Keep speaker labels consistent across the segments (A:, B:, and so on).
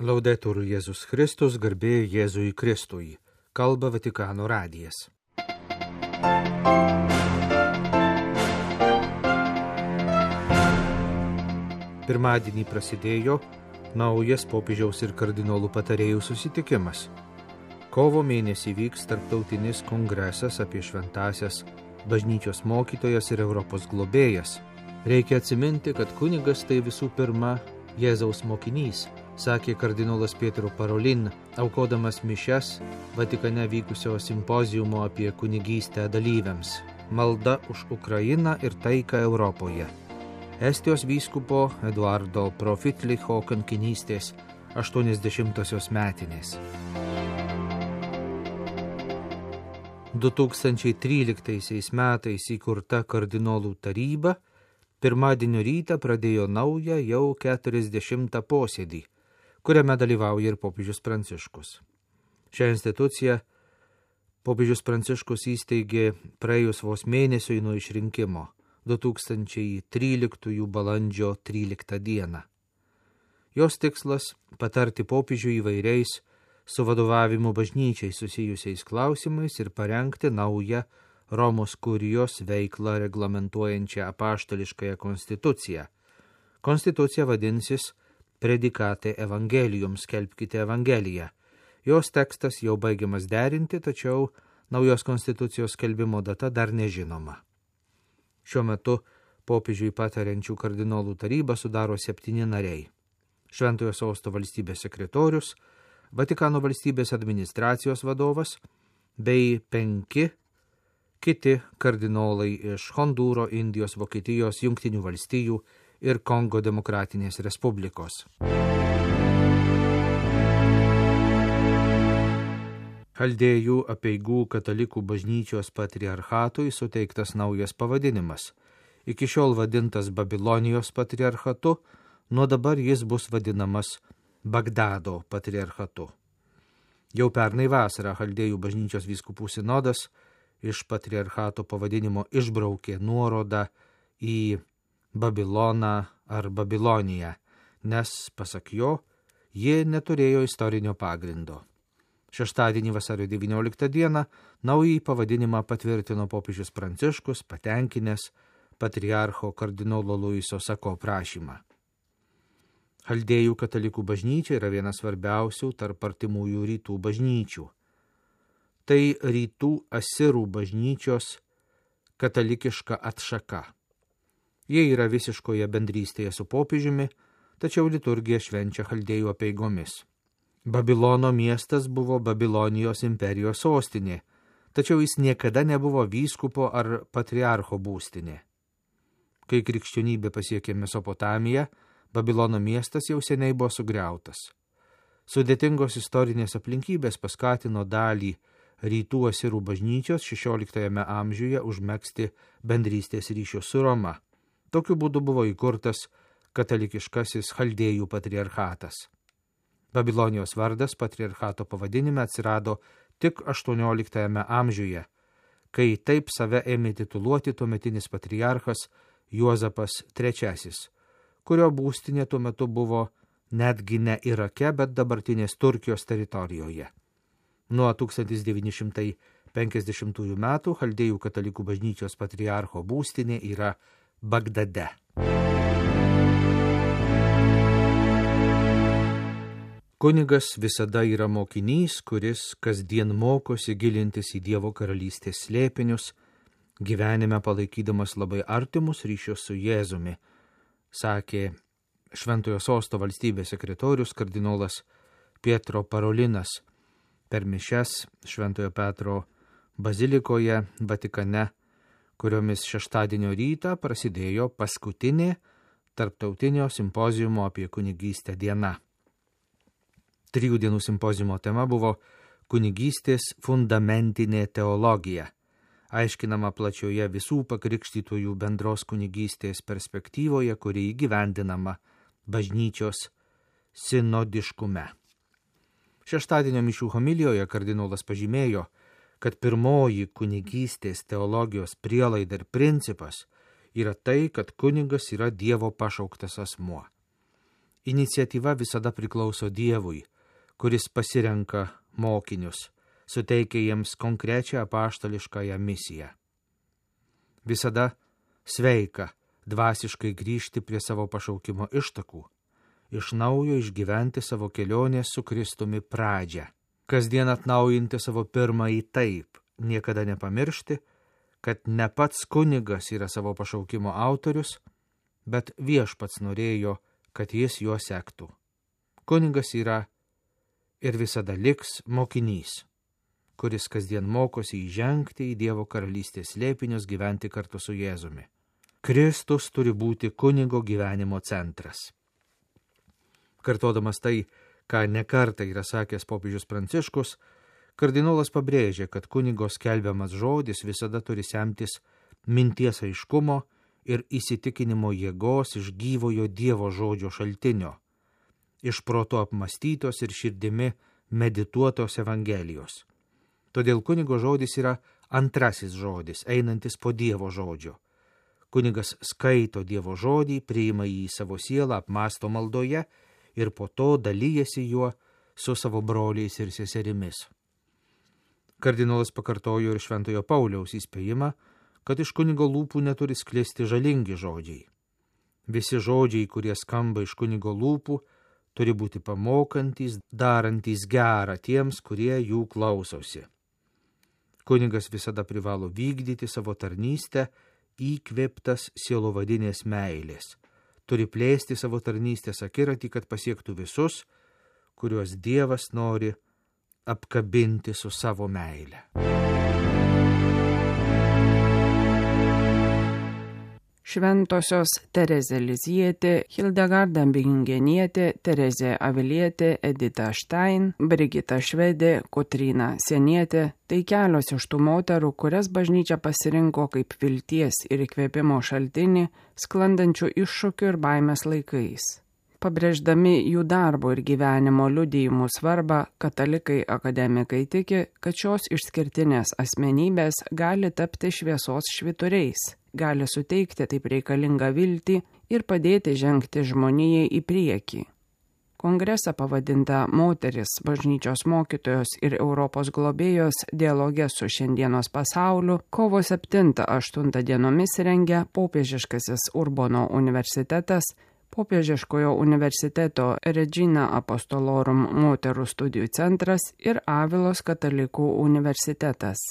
A: Laudetur Jėzus Kristus, garbė Jėzui Kristui. Kalba Vatikano radijas. Pirmadienį prasidėjo naujas popiežiaus ir kardinolų patarėjų susitikimas. Kovo mėnesį vyks tarptautinis kongresas apie šventąsias bažnyčios mokytojas ir Europos globėjas. Reikia atsiminti, kad kunigas tai visų pirma Jėzaus mokinys, sakė kardinolas Pietro Parolin, aukodamas mišias Vatikane vykusio simpoziumo apie kunigystę dalyviams. Malda už Ukrainą ir taiką Europoje. Estijos vyskupo Eduardo Profitlicho kankinystės 80-osios metinės. 2013 metais įkurta kardinolų taryba pirmadienio rytą pradėjo naują jau 40 posėdį, kuriame dalyvauja ir popiežius Pranciškus. Šią instituciją popiežius Pranciškus įsteigė praėjus vos mėnesiui nuo išrinkimo 2013 balandžio 13 dieną. Jos tikslas – patarti popiežiui įvairiais su vadovavimu bažnyčiai susijusiais klausimais ir parengti naują Romos kurijos veiklą reglamentuojančią apaštališkąją konstituciją. Konstitucija vadinsis Predikate Evangelium, skelbkite Evangeliją. Jos tekstas jau baigiamas derinti, tačiau naujos konstitucijos skelbimo data dar nežinoma. Šiuo metu popiežiui patariančių kardinolų tarybą sudaro 7 nariai. Šventojo Sosto valstybės sekretorius, Vatikano valstybės administracijos vadovas bei 5 kiti kardinolai iš Hondūro, Indijos, Vokietijos, Jungtinių valstijų ir Kongo Demokratinės Respublikos. Chaldėjų apeigų katalikų bažnyčios patriarchatui suteiktas naujas pavadinimas. Iki šiol vadintas Babilonijos patriarchatu, nuo dabar jis bus vadinamas Bagdado patriarchatu. Jau pernai vasarą Chaldėjų bažnyčios vyskupų sinodas iš patriarchato pavadinimo išbraukė nuorodą į Babiloną ar Babiloniją, nes, pasak jo, ji neturėjo istorinio pagrindo. Šeštadienį vasario 19 dieną naująjį pavadinimą patvirtino popiežius Pranciškus, patenkinęs patriarcho kardinolo Luiso Sako prašymą. Chaldėjų katalikų bažnyčia yra vienas svarbiausių tarp artimųjų rytų bažnyčių. Tai rytų asirų bažnyčios katalikiška atšaka. Jie yra visiškoje bendrystėje su popiežiumi, tačiau liturgija švenčia chaldėjų apeigomis. Babilono miestas buvo Babilonijos imperijos sostinė, tačiau jis niekada nebuvo vyskupo ar patriarcho būstinė. Kai krikščionybė pasiekė Mesopotamiją, Babilono miestas jau seniai buvo sugriautas. Sudėtingos istorinės aplinkybės paskatino dalį rytų asirų bažnyčios 16 amžiuje užmegzti bendrystės ryšius su Roma. Tokiu būdu buvo įkurtas katalikiškasis Chaldėjų patriarchatas. Babilonijos vardas patriarchato pavadinime atsirado tik 18 amžiuje, kai taip save ėmė tituluoti tuometinis patriarchas Juozapas III, kurio būstinė tuo metu buvo netgi ne Irake, bet dabartinės Turkijos teritorijoje. Nuo 1950 metų Chaldėjų katalikų bažnyčios patriarcho būstinė yra Bagdade. Kunigas visada yra mokinys, kuris kasdien mokosi gilintis į Dievo karalystės slėpinius, gyvenime palaikydamas labai artimus ryšius su Jėzumi, sakė Šventojo Sosto valstybės sekretorius kardinolas Pietro Parolinas per mišias Šventojo Petro bazilikoje Vatikane, kuriomis šeštadienio rytą prasidėjo paskutinė tarptautinio simpoziumo apie kunigystę diena. 3 dienų simpoziumo tema buvo kunigystės fundamentinė teologija, aiškinama plačioje visų pakrikštytųjų bendros kunigystės perspektyvoje, kuri įgyvendinama bažnyčios sinodiškume. Šeštadienio mišių homilijoje kardinolas pažymėjo, kad pirmoji kunigystės teologijos prielaida ir principas yra tai, kad kunigas yra Dievo pašauktas asmuo. Iniciatyva visada priklauso Dievui, kuris pasirenka mokinius, suteikia jiems konkrečią apaštališkąją misiją. Visada sveika dvasiškai grįžti prie savo pašaukimo ištakų, iš naujo išgyventi savo kelionės su Kristumi pradžią, kasdien atnaujinti savo pirmąjį taip, niekada nepamiršti, kad ne pats kunigas yra savo pašaukimo autorius, bet Viešpats norėjo, kad jis juo sektų. Kunigas yra ir visada liks mokinys, kuris kasdien mokosi įžengti į Dievo karalystės slėpinius, gyventi kartu su Jėzumi. Kristus turi būti kunigo gyvenimo centras. Kartodamas tai, ką nekartą yra sakęs popiežius Pranciškus, kardinolas pabrėžė, kad kunigo skelbiamas žodis visada turi semtis minties aiškumo ir įsitikinimo jėgos iš gyvojo Dievo žodžio šaltinio, iš proto apmastytos ir širdimi medituotos Evangelijos. Todėl kunigo žodis yra antrasis žodis, einantis po Dievo žodžio. Kunigas skaito Dievo žodį, priima jį į savo sielą, apmąsto maldoje ir po to dalyjasi juo su savo broliais ir seserimis. Kardinolas pakartojo ir Šventojo Pauliaus įspėjimą, kad iš kunigo lūpų neturi sklisti žalingi žodžiai. Visi žodžiai, kurie skamba iš kunigo lūpų, turi būti pamokantys, darantys gerą tiems, kurie jų klausosi. Kunigas visada privalo vykdyti savo tarnystę įkvėptas sielovadinės meilės. Turi plėsti savo tarnystės akiratį, kad pasiektų visus, kuriuos Dievas nori apkabinti su savo meile.
B: Šventosios Terezė Lizjietė, Hildegarda Bingenietė, Terezė Avilietė, Edita Štain, Brigita Švedė, Kotryna Senietė – tai kelios iš tų moterų, kurias bažnyčia pasirinko kaip vilties ir įkvėpimo šaltinį sklandančių iššūkių ir baimės laikais. Pabrėždami jų darbo ir gyvenimo liudijimų svarbą, katalikai akademikai tiki, kad šios išskirtinės asmenybės gali tapti šviesos švyturiais, gali suteikti taip reikalingą viltį ir padėti žengti žmonijai į priekį. Kongresą pavadintą Moteris, bažnyčios mokytojos ir Europos globėjos dialoge su šiandienos pasauliu kovo 7-8 dienomis rengia Popiežiškasis Urbono universitetas, Popiežiškojo universiteto Regina Apostolorum moterų studijų centras ir Avilos katalikų universitetas.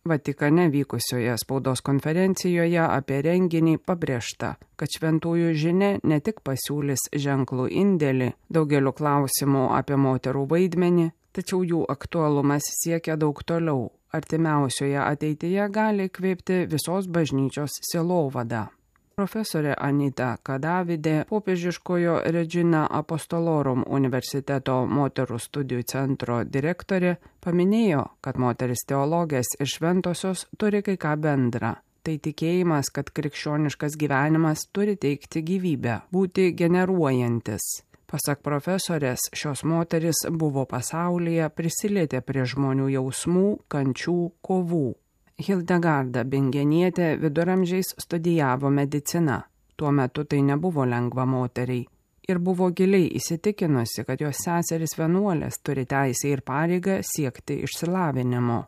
B: Vatikane vykusioje spaudos konferencijoje apie renginį pabrėžta, kad šventųjų žinia ne tik pasiūlys ženklų indėlį daugeliu klausimų apie moterų vaidmenį, tačiau jų aktualumas siekia daug toliau. Artimiausioje ateityje gali įkvėpti visos bažnyčios sielovadą. Profesorė Anita Kadavidė, Popiežiškojo Regina Apostolorum universiteto moterų studijų centro direktorė, paminėjo, kad moteris teologės ir šventosios turi kai ką bendra. Tai tikėjimas, kad krikščioniškas gyvenimas turi teikti gyvybę, būti generuojantis. Pasak profesorės, šios moteris buvo pasaulyje, prisilietė prie žmonių jausmų, kančių, kovų. Hildegarda Bingenietė viduramžiais studijavo mediciną. Tuo metu tai nebuvo lengva moteriai ir buvo giliai įsitikinusi, kad jos seserys vienuolės turi teisę ir pareigą siekti išsilavinimo.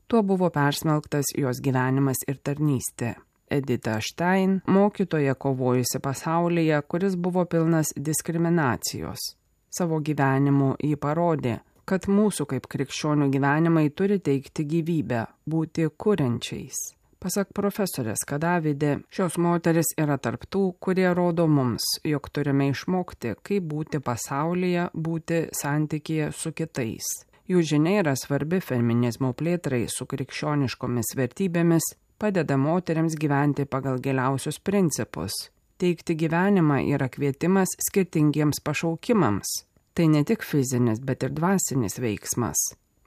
B: Tuo buvo persmelktas jos gyvenimas ir tarnystė. Edita Štain, mokytoja kovojusi pasaulyje, kuris buvo pilnas diskriminacijos. Savo gyvenimu ji parodė, kad mūsų kaip krikščionių gyvenimai turi teikti gyvybę, būti kuriančiais. Pasak profesorės Kadavidė, šios moteris yra tarp tų, kurie rodo mums, jog turime išmokti, kaip būti pasaulyje, būti santykyje su kitais. Jų žinia yra svarbi feminizmo plėtrai su krikščioniškomis vertybėmis, padeda moteriams gyventi pagal giliausius principus. Teikti gyvenimą yra kvietimas skirtingiems pašaukimams. Tai ne tik fizinis, bet ir dvasinis veiksmas.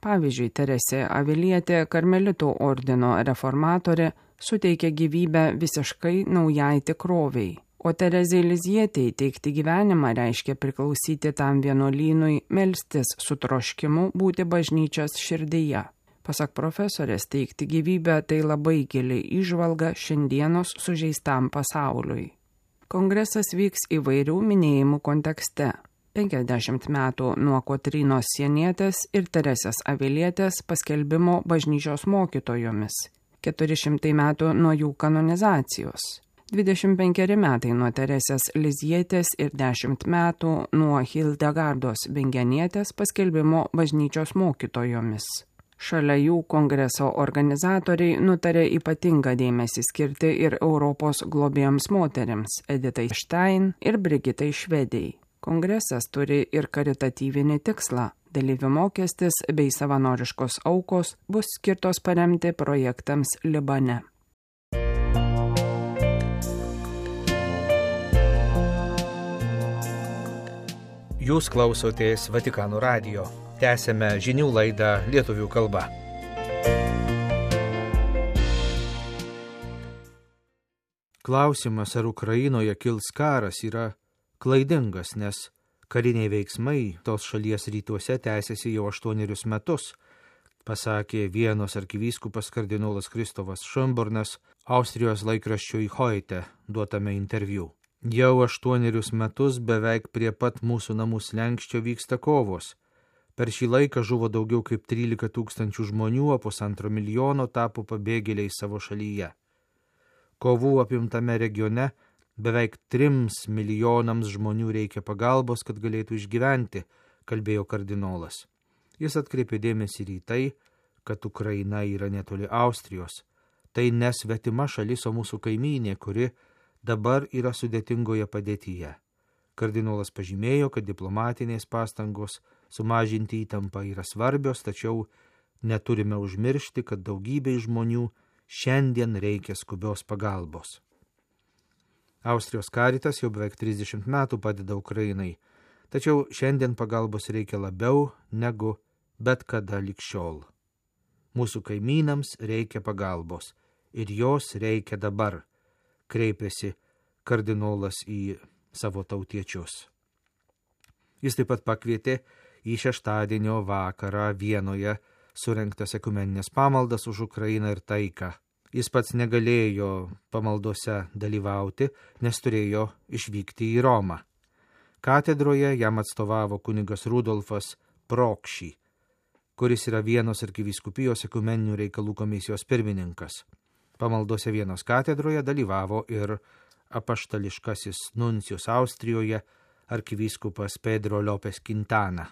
B: Pavyzdžiui, Teresė Avilietė, karmelitų ordino reformatorė, suteikė gyvybę visiškai naujai tikroviai. O Terezei Lizjietei teikti gyvenimą reiškia priklausyti tam vienuolynui, melstis su troškimu būti bažnyčios širdyje. Pasak profesorės, teikti gyvybę tai labai gili įžvalga šiandienos sužeistam pasauliui. Kongresas vyks įvairių minėjimų kontekste. 50 metų nuo Kotrynos Sienietės ir Teresės Avilietės paskelbimo bažnyčios mokytojomis, 400 metų nuo jų kanonizacijos, 25 metai nuo Teresės Lizietės ir 10 metų nuo Hildegardos Bingenietės paskelbimo bažnyčios mokytojomis. Šalia jų kongreso organizatoriai nutarė ypatingą dėmesį skirti ir Europos globėjams moterims Editai Stein ir Brigitai Švedei. Kongresas turi ir karitatyvinį tikslą. Dalyvių mokestis bei savanoriškos aukos bus skirtos paremti projektams Libane.
A: Jūs klausotės Vatikano radijo. Tęsėme žinių laidą lietuvių kalba. Klausimas, ar Ukrainoje kils karas, yra klaidingas, nes kariniai veiksmai tos šalies rytuose tęsiasi jau 8 metus, pasakė Vienos arkivyskupas kardinolas Kristofas Šumburnas Austrijos laikraščiui Heute duotame interviu. Jau 8 metus beveik prie pat mūsų namų slenksčio vyksta kovos. Per šį laiką žuvo daugiau kaip 13 000 žmonių, o 1,5 milijono tapo pabėgėliai savo šalyje. Kovų apimtame regione beveik 3 milijonams žmonių reikia pagalbos, kad galėtų išgyventi, kalbėjo kardinolas. Jis atkreipė dėmesį į tai, kad Ukraina yra netoli Austrijos. Tai nesvetima šalis, o mūsų kaimynė, kuri dabar yra sudėtingoje padėtyje. Kardinolas pažymėjo, kad diplomatinės pastangos sumažinti įtampą yra svarbios, tačiau neturime užmiršti, kad daugybei žmonių šiandien reikia skubios pagalbos. Austrijos Caritas jau beveik 30 metų padeda Ukrainai, tačiau šiandien pagalbos reikia labiau negu bet kada lig šiol. Mūsų kaimynams reikia pagalbos ir jos reikia dabar, kreipėsi kardinolas į savo tautiečius. Jis taip pat pakvietė į šeštadienio vakarą Vienoje surengtas ekumeninės pamaldas už Ukrainą ir taiką. Jis pats negalėjo pamaldose dalyvauti, nes turėjo išvykti į Romą. Katedroje jam atstovavo kunigas Rudolfas Prokši, kuris yra Vienos arkivyskupijos ekumeninių reikalų komisijos pirmininkas. Pamaldose Vienos katedroje dalyvavo ir apaštališkasis nuncijus Austrijoje arkivyskupas Pedro Lopes Quintana.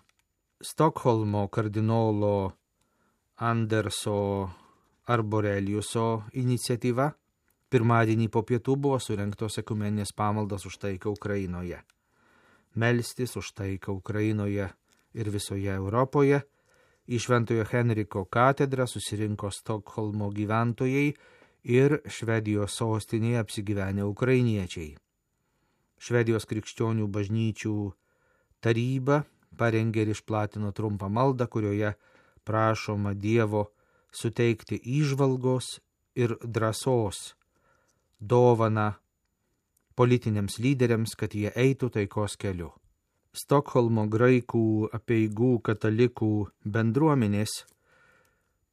A: Stokholmo kardinolo Anderso Arboreliuso iniciatyva pirmadienį po pietų buvo surengtos ekumeninės pamaldas už taiką Ukrainoje. Melstis už taiką Ukrainoje ir visoje Europoje į Šventojo Henriko katedrą susirinko Stokholmo gyventojai ir Švedijos sostinėje apsigyvenę ukrainiečiai. Švedijos krikščionių bažnyčių taryba parengė ir išplatino trumpą maldą, kurioje prašoma Dievo suteikti įžvalgos ir drąsos dovaną politiniams lyderiams, kad jie eitų taikos keliu. Stokholmo graikų apeigų katalikų bendruomenės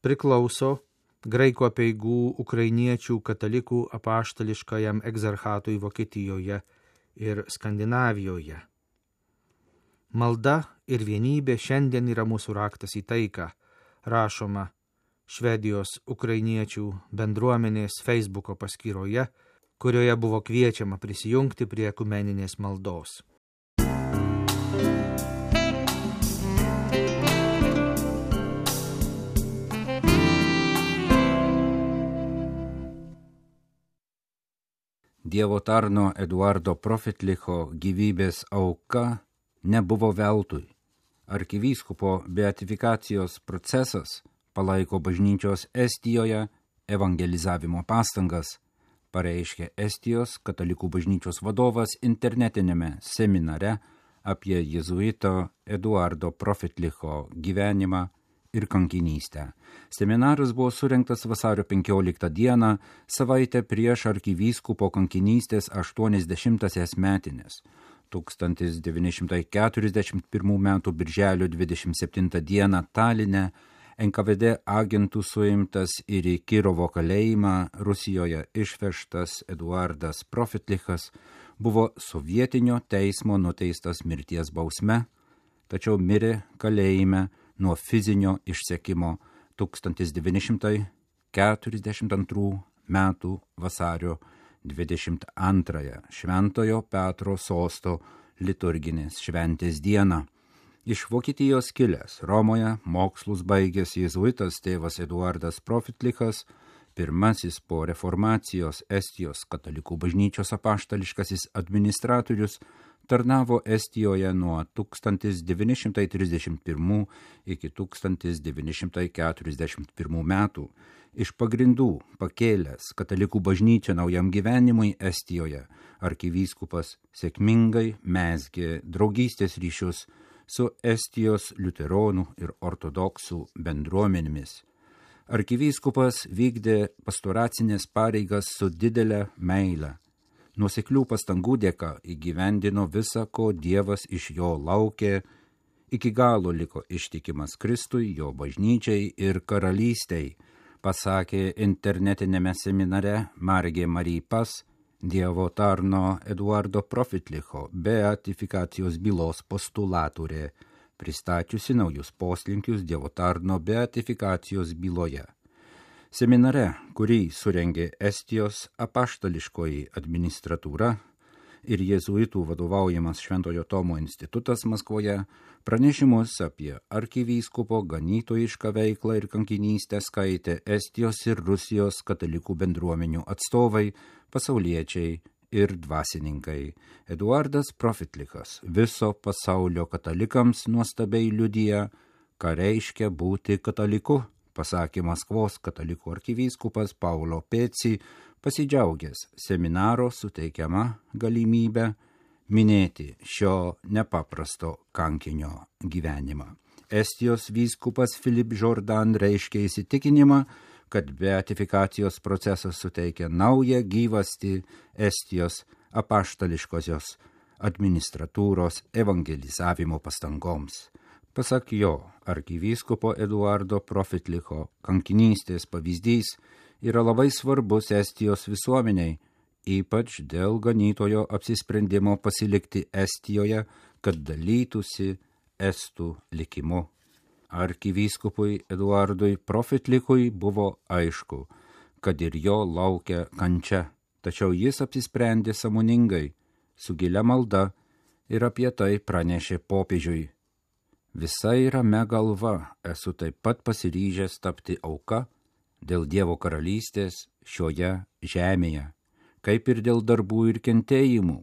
A: priklauso graikų apeigų ukrainiečių katalikų apaštališkajam egzarchatui Vokietijoje ir Skandinavijoje. Malda ir vienybė šiandien yra mūsų raktas į taiką, rašoma Švedijos ukrainiečių bendruomenės Facebooko paskyroje, kurioje buvo kviečiama prisijungti prie ekumeninės maldos.
C: Dievo tarno Eduardo Profitlicho gyvybės auka nebuvo veltui. Arkivyskupo beatifikacijos procesas palaiko bažnyčios Estijoje evangelizavimo pastangas, pareiškė Estijos katalikų bažnyčios vadovas internetinėme seminare apie jėzuito Eduardo Profitlicho gyvenimą ir kankinystę. Seminaras buvo surengtas vasario 15 dieną, savaitę prieš arkivyskupo kankinystės 80-asias metinės. 1941 m. birželio 27 dieną Taline NKVD agentų suimtas ir į Kirovo kalėjimą Rusijoje išvežtas Eduardas Profitlichas buvo sovietinio teismo nuteistas mirties bausme, tačiau mirė kalėjime nuo fizinio išsekimo 1942 metų vasario 22 Šventojo Petro sosto liturginės šventės dieną. Iš Vokietijos kilęs Romoje mokslus baigęs jėzuitas tėvas Eduardas Profitlichas, pirmasis po reformacijos Estijos katalikų bažnyčios apaštališkasis administratorius, tarnavo Estijoje nuo 1931 iki 1941 metų. Iš pagrindų pakėlęs katalikų bažnyčią naujam gyvenimui Estijoje, arkivyskupas sėkmingai mezgė draugystės ryšius su Estijos liuteronų ir ortodoksų bendruomenėmis. Arkivyskupas vykdė pastoracinės pareigas su didelė meile. Nuoseklių pastangų dėka įgyvendino visa, ko Dievas iš jo laukė, iki galo liko ištikimas Kristui, jo bažnyčiai ir karalystei, pasakė internetinėme seminare Margė Marie Pas Dievo tarno Eduardo Profitlicho beatifikacijos bylos postulatorė, pristačiusi naujus poslinkius Dievo tarno beatifikacijos byloje. Seminare, kurį surengė Estijos apaštališkoji administratūra ir jėzuitų vadovaujamas Šventojo Tomo institutas Maskvoje, pranešimus apie arkivyskupo ganytojišką veiklą ir kankinystę skaitė Estijos ir Rusijos katalikų bendruomenių atstovai, pasauliečiai ir dvasininkai. Eduardas Profitlichas viso pasaulio katalikams nuostabiai liudija, ką reiškia būti kataliku, pasakė Maskvos katalikų arkivyskupas Paulo Peci, pasidžiaugęs seminaro suteikiama galimybę minėti šio nepaprasto kankinio gyvenimą. Estijos vyskupas Filip Jordan reiškė įsitikinimą, kad beatifikacijos procesas suteikia naują gyvastį Estijos apaštališkosios administratūros evangelizavimo pastangoms. Pasak jo, arkivyskupo Eduardo Profitlicho kankinystės pavyzdys yra labai svarbus Estijos visuomeniai, ypač dėl ganytojo apsisprendimo pasilikti Estijoje, kad dalytųsi estų likimu. Arkivyskupui Eduardui Profitlichui buvo aišku, kad ir jo laukia kančia, tačiau jis apsisprendė sąmoningai, su gilia malda ir apie tai pranešė popiežiui. Visai ramia galva esu taip pat pasiryžęs tapti auka dėl Dievo karalystės šioje žemėje, kaip ir dėl darbų ir kentėjimų,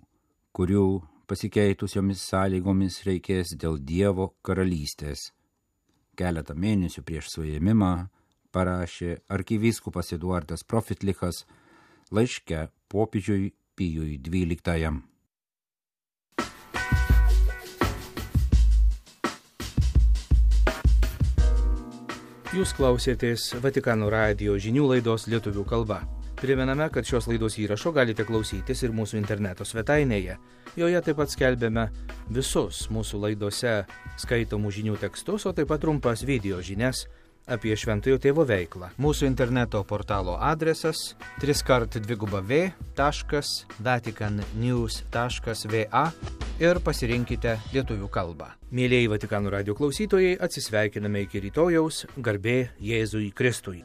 C: kurių pasikeitusiomis sąlygomis reikės dėl Dievo karalystės. Keletą mėnesių prieš suėmimą parašė arkivyskupas Eduardas Profitlichas laiške popiežiui Pijui XII.
A: Jūs klausėtės Vatikano radijo žinių laidos lietuvių kalba. Primename, kad šios laidos įrašo galite klausytis ir mūsų interneto svetainėje. Joje taip pat skelbėme visus mūsų laidose skaitomų žinių tekstus, o taip pat trumpas video žinias apie Šventojo Tėvo veiklą. Mūsų interneto portalo adresas www.vaticannews.va ir pasirinkite lietuvių kalbą. Mielieji Vatikano radijo klausytojai, atsisveikiname iki rytojaus, garbė Jėzui Kristui.